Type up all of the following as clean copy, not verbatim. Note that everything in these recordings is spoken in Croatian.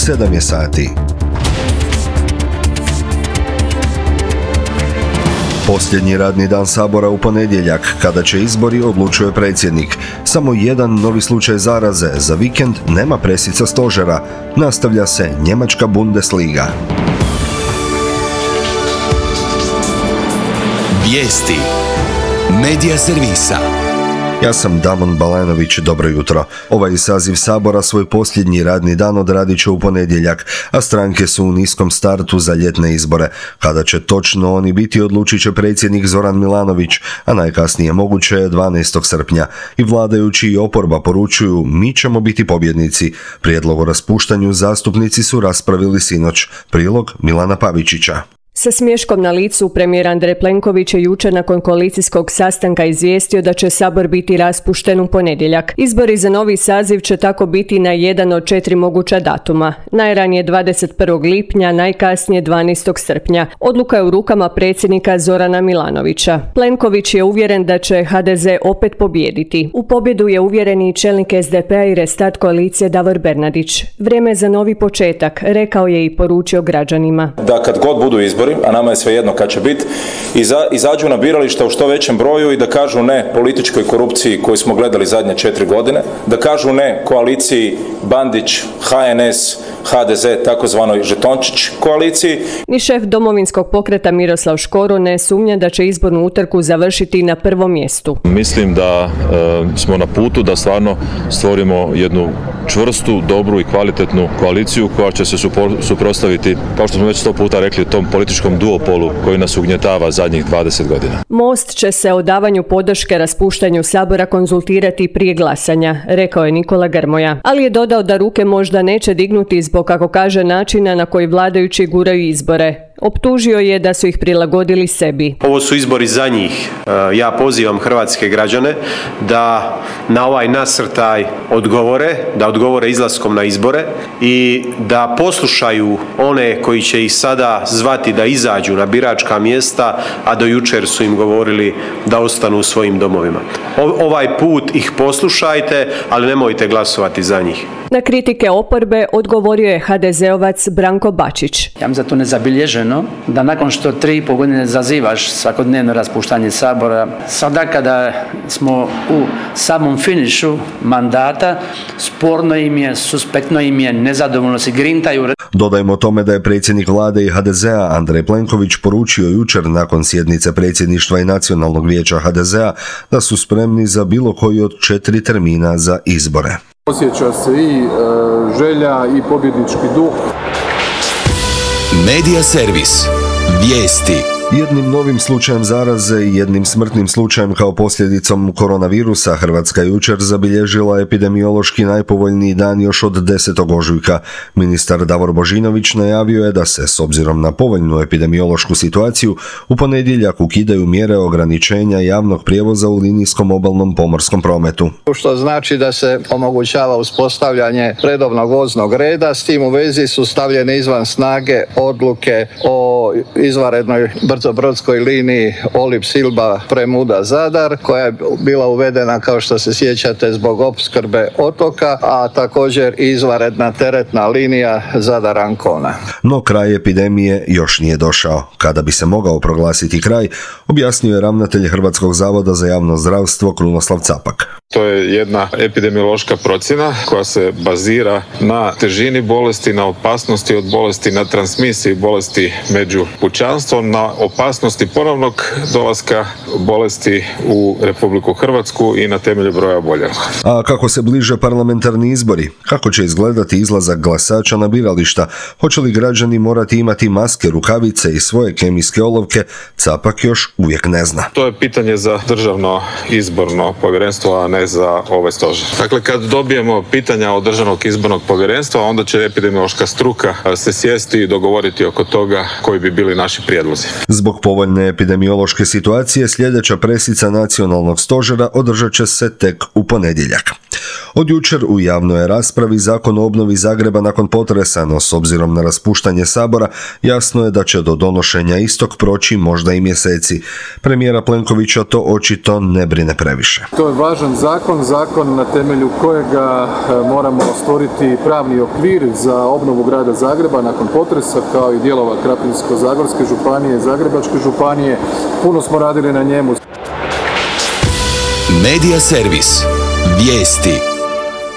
7 je sati. Posljednji radni dan Sabora u ponedjeljak, kada će izbori, odlučuje predsjednik. Samo jedan novi slučaj zaraze, za vikend nema presica stožera, nastavlja se njemačka Bundesliga. Vijesti Medija servisa. Ja sam Damon Balanović, dobro jutro. Ovaj saziv Sabora svoj posljednji radni dan odradit će u ponedjeljak, a stranke su u niskom startu za ljetne izbore. Kada će točno oni biti, odlučit će predsjednik Zoran Milanović, a najkasnije moguće je 12. srpnja. I vladajući i oporba poručuju, mi ćemo biti pobjednici. Prijedlog o raspuštanju zastupnici su raspravili sinoć. Prilog Milana Pavičića. Sa smiješkom na licu, premijer Andrej Plenković je jučer nakon koalicijskog sastanka izvijestio da će Sabor biti raspušten u ponedjeljak. Izbori za novi saziv će tako biti na jedan od 4 moguća datuma. Najranije 21. lipnja, najkasnije 12. srpnja. Odluka je u rukama predsjednika Zorana Milanovića. Plenković je uvjeren da će HDZ opet pobijediti. U pobjedu je uvjeren i čelnik SDP-a i Restart koalicije Davor Bernardić. Vrijeme je za novi početak, rekao je i poručio građanima. Da kad god budu izbori, a nama je svejedno kad će biti, izađu na birališta u što većem broju i da kažu ne političkoj korupciji koju smo gledali zadnje 4 godine, da kažu ne koaliciji Bandić, HNS, HDZ, takozvanoj žetončić koaliciji. Ni šef Domovinskog pokreta Miroslav Škoro ne sumnja da će izbornu utrku završiti na prvom mjestu. Mislim da smo na putu da stvarno stvorimo jednu čvrstu, dobru i kvalitetnu koaliciju koja će se suprotstaviti, kao što smo već 100 puta rekli, tom političkom duopolu koji nas ugnjetava zadnjih 20 godina. Most će se o davanju podrške raspuštanju Sabora konzultirati prije glasanja, rekao je Nikola Grmoja. Ali je dodao da ruke možda neće dignuti zbog, kako kaže, načina na koji vladajući guraju izbore. Optužio je da su ih prilagodili sebi. Ovo su izbori za njih. Ja pozivam hrvatske građane da na ovaj nasrtaj odgovore izlaskom na izbore i da poslušaju one koji će ih sada zvati da izađu na biračka mjesta, a do jučer su im govorili da ostanu u svojim domovima. Ovaj put ih poslušajte, ali nemojte glasovati za njih. Na kritike oporbe odgovorio je HDZ-ovac Branko Bačić. Ja mi zato nezabilježeno da nakon što 3,5 godine zazivaš svakodnevno raspuštanje Sabora, sada kada smo u samom finišu mandata, sporno im je, suspektno im je, nezadovoljno se grintaju. Dodajmo tome da je predsjednik vlade i HDZ-a Andrej Plenković poručio jučer nakon sjednice predsjedništva i nacionalnog vijeća HDZ-a da su spremni za bilo koji od 4 termina za izbore. Osjeća se i želja i pobjednički duh. Medija servis. Vijesti. Jednim novim slučajem zaraze i jednim smrtnim slučajem kao posljedicom koronavirusa Hrvatska jučer zabilježila epidemiološki najpovoljniji dan još od 10. ožujka. Ministar Davor Božinović najavio je da se, s obzirom na povoljnu epidemiološku situaciju, u ponedjeljak ukidaju mjere ograničenja javnog prijevoza u linijskom obalnom pomorskom prometu. Što znači da se omogućava uspostavljanje redovnog voznog reda, s tim u vezi su stavljene izvan snage odluke o izvanrednoj brzobrodskoj liniji Olib-Silba Premuda-Zadar, koja je bila uvedena, kao što se sjećate, zbog opskrbe otoka, a također i izvanredna teretna linija Zadar-Ancona. No kraj epidemije još nije došao. Kada bi se mogao proglasiti kraj, objasnio je ravnatelj Hrvatskog zavoda za javno zdravstvo Krunoslav Capak. To je jedna epidemiološka procjena koja se bazira na težini bolesti, na opasnosti od bolesti, na transmisiji bolesti među pučanstvom, na opasnosti ponovnog dolaska bolesti u Republiku Hrvatsku i na temelju broja oboljelih. A kako se bliže parlamentarni izbori? Kako će izgledati izlazak glasača na birališta? Hoće li građani morati imati maske, rukavice i svoje kemijske olovke? Capak još uvijek ne zna. To je pitanje za Državno izborno povjerenstvo, a ne za ovaj stožer. Dakle, kad dobijemo pitanja od Državnog izbornog povjerenstva, onda će epidemiološka struka se sjesti i dogovoriti oko toga koji bi bili naši prijedlozi. Zbog povoljne epidemiološke situacije sljedeća presica nacionalnog stožera održat će se tek u ponedjeljak. Od jučer u javnoj je raspravi Zakon o obnovi Zagreba nakon potresa, no s obzirom na raspuštanje Sabora, jasno je da će do donošenja istog proći možda i mjeseci. Premijera Plenkovića to očito ne brine previše. To je važan zakon na temelju kojega moramo stvoriti pravni okvir za obnovu grada Zagreba nakon potresa, kao i dijelova Krapinsko-zagorske županije, Zagrebačke županije. Puno smo radili na njemu. Medija servis. Vijesti.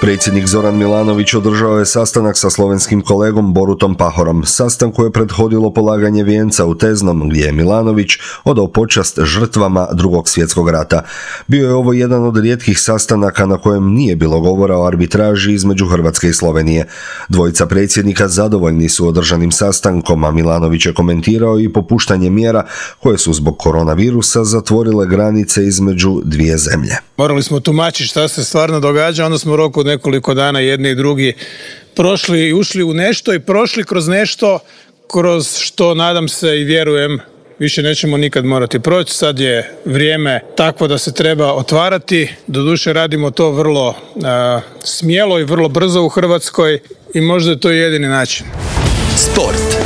Predsjednik Zoran Milanović održao je sastanak sa slovenskim kolegom Borutom Pahorom. Sastanku je prethodilo polaganje vijenca u Teznom, gdje je Milanović odao počast žrtvama Drugog svjetskog rata. Bio je ovo jedan od rijetkih sastanaka na kojem nije bilo govora o arbitraži između Hrvatske i Slovenije. Dvojica predsjednika zadovoljni su održanim sastankom, a Milanović je komentirao i popuštanje mjera koje su zbog koronavirusa zatvorile granice između dvije zemlje. Morali smo tumačiti šta se stvarno događa, onda smo u roku nekoliko dana jedni i drugi prošli i ušli u nešto i prošli kroz nešto kroz što, nadam se i vjerujem, više nećemo nikad morati proći. Sad je vrijeme takvo da se treba otvarati. Doduše radimo to vrlo smjelo i vrlo brzo u Hrvatskoj i možda je to jedini način. Sport.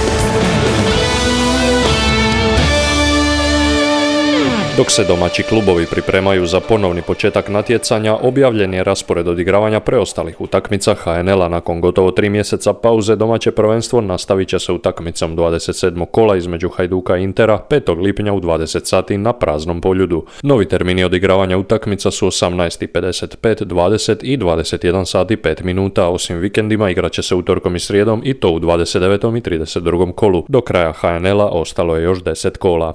Dok se domaći klubovi pripremaju za ponovni početak natjecanja, objavljen je raspored odigravanja preostalih utakmica HNL-a. Nakon gotovo 3 mjeseca pauze domaće prvenstvo nastavit će se utakmicom 27. kola između Hajduka i Intera 5. lipnja u 20 sati na praznom Poljudu. Novi termini odigravanja utakmica su 18:55, 20 i 21 sati 5 minuta. Osim vikendima igrat će se utorkom i srijedom i to u 29. i 32. kolu. Do kraja HNL-a ostalo je još 10 kola.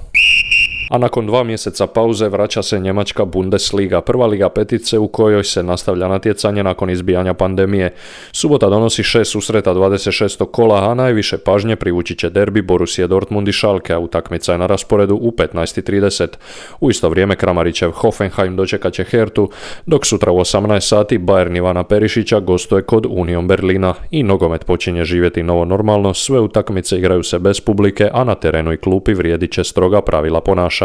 A nakon 2 mjeseca pauze vraća se njemačka Bundesliga, prva liga petice u kojoj se nastavlja natjecanje nakon izbijanja pandemije. Subota donosi 6 susreta 26. kola, a najviše pažnje privući će derbi Borussia Dortmund i Schalke, a utakmica je na rasporedu u 15:30. U isto vrijeme Kramarićev Hoffenheim dočekat će Hertu, dok sutra u 18 sati Bayern Ivana Perišića gostuje kod Union Berlina. I nogomet počinje živjeti novo normalno, sve utakmice igraju se bez publike, a na terenu i klupi vrijedit će stroga pravila ponašanja.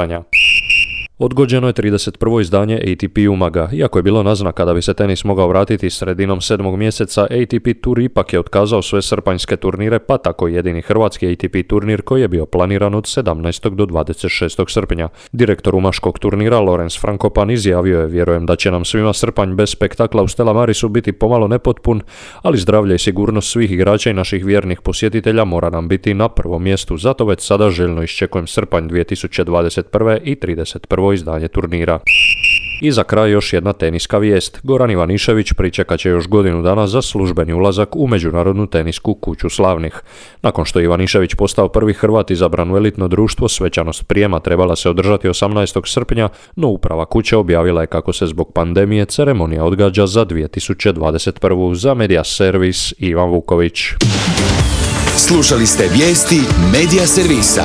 Odgođeno je 31. izdanje ATP Umaga. Iako je bilo naznaka da bi se tenis mogao vratiti sredinom 7. mjeseca, ATP Tour ipak je otkazao sve srpanjske turnire, pa tako jedini hrvatski ATP turnir koji je bio planiran od 17. do 26. srpnja. Direktor umaškog turnira Lorenz Frankopan izjavio je: "Vjerujem da će nam svima srpanj bez spektakla u Stella Marisu biti pomalo nepotpun, ali zdravlje i sigurnost svih igrača i naših vjernih posjetitelja mora nam biti na prvom mjestu. Zato već sada željno iščekujem srpanj 2021. i 31. izdanje turnira." I za kraj još jedna teniska vijest. Goran Ivanišević pričekat će još godinu dana za službeni ulazak u Međunarodnu tenisku kuću slavnih. Nakon što je Ivanišević postao prvi Hrvat izabran u elitno društvo, svečanost prijema trebala se održati 18. srpnja, no uprava kuće objavila je kako se zbog pandemije ceremonija odgađa za 2021. Za Medija servis Ivan Vuković. Slušali ste vijesti Medija servisa.